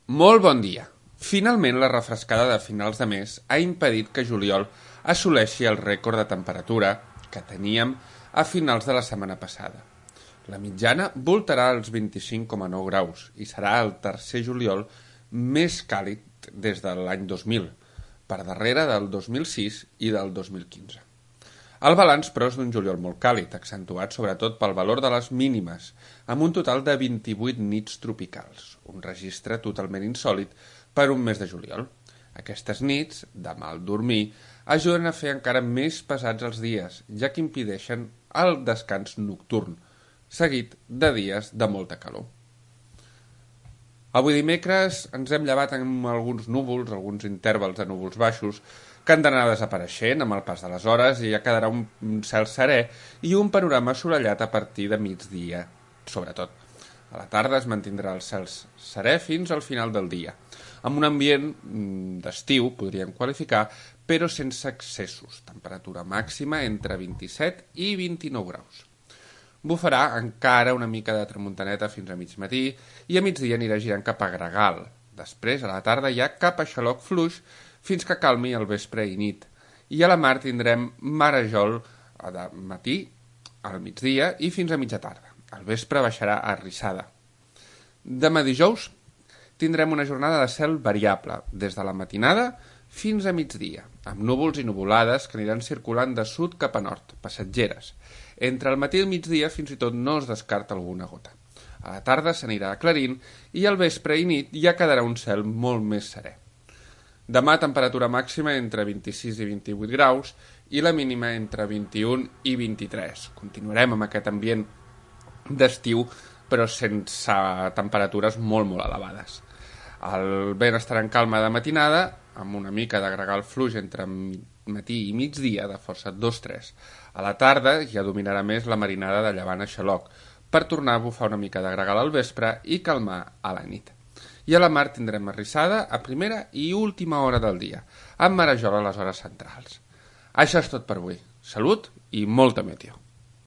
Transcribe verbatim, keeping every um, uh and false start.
Molt bon dia. Finalment, la refrescada de finals de mes ha impedit que juliol assoleixi el rècord de temperatura que teníem a finals de la setmana passada. La mitjana voltarà als vint-i-cinc coma nou graus i serà el tercer juliol més càlid des de l'any dos mil, per darrere del dos mil sis i del dos mil quinze. El balanç, però, és d'un juliol molt càlid, accentuat sobretot pel valor de les mínimes, amb un total de vint-i-vuit nits tropicals, un registre totalment insòlit per un mes de juliol. Aquestes nits, de mal dormir, ajuden a fer encara més pesats els dies, ja que impedeixen el descans nocturn, seguit de dies de molta calor. Avui dimecres ens hem llevat amb alguns núvols, alguns intervals de núvols baixos, que han d'anar desapareixent amb el pas de les hores i ja quedarà un cel serè i un panorama assolellat a partir de migdia, sobretot. A la tarda es mantindrà el cel serè fins al final del dia, amb un ambient d'estiu, podríem qualificar, però sense excessos, temperatura màxima entre vint-i-set i vint-i-nou graus. Bufarà encara una mica de tramuntaneta fins a mig matí i a migdia anirà girant cap a Gregal. Després, a la tarda, ja cap a xaloc fluix fins que calmi al vespre i nit. I a la mar tindrem marejol de matí, al migdia i fins a mitja tarda. Al vespre baixarà a rissada. Demà dijous tindrem una jornada de cel variable, des de la matinada fins a migdia, amb núvols i nuvolades que aniran circulant de sud cap a nord, passatgeres. Entre el matí i el migdia fins i tot no es descarta alguna gota. A la tarda s'anirà aclarint i al vespre i nit ja quedarà un cel molt més serè. Demà temperatura màxima entre vint-i-sis i vint-i-vuit graus i la mínima entre vint-i-un i vint-i-tres. Continuarem amb aquest ambient d'estiu però sense temperatures molt molt elevades. El vent estarà en calma de matinada amb una mica de gregal fluix entre matí i migdia de força dos tres. A la tarda ja dominarà més la marinada de llevant a xaloc per tornar a bufar una mica de gregal al vespre i calmar a la nit. I a la mar tindrem arrissada a primera i última hora del dia, amb marejol a les hores centrals. Això és tot per avui. Salut i molta meteo.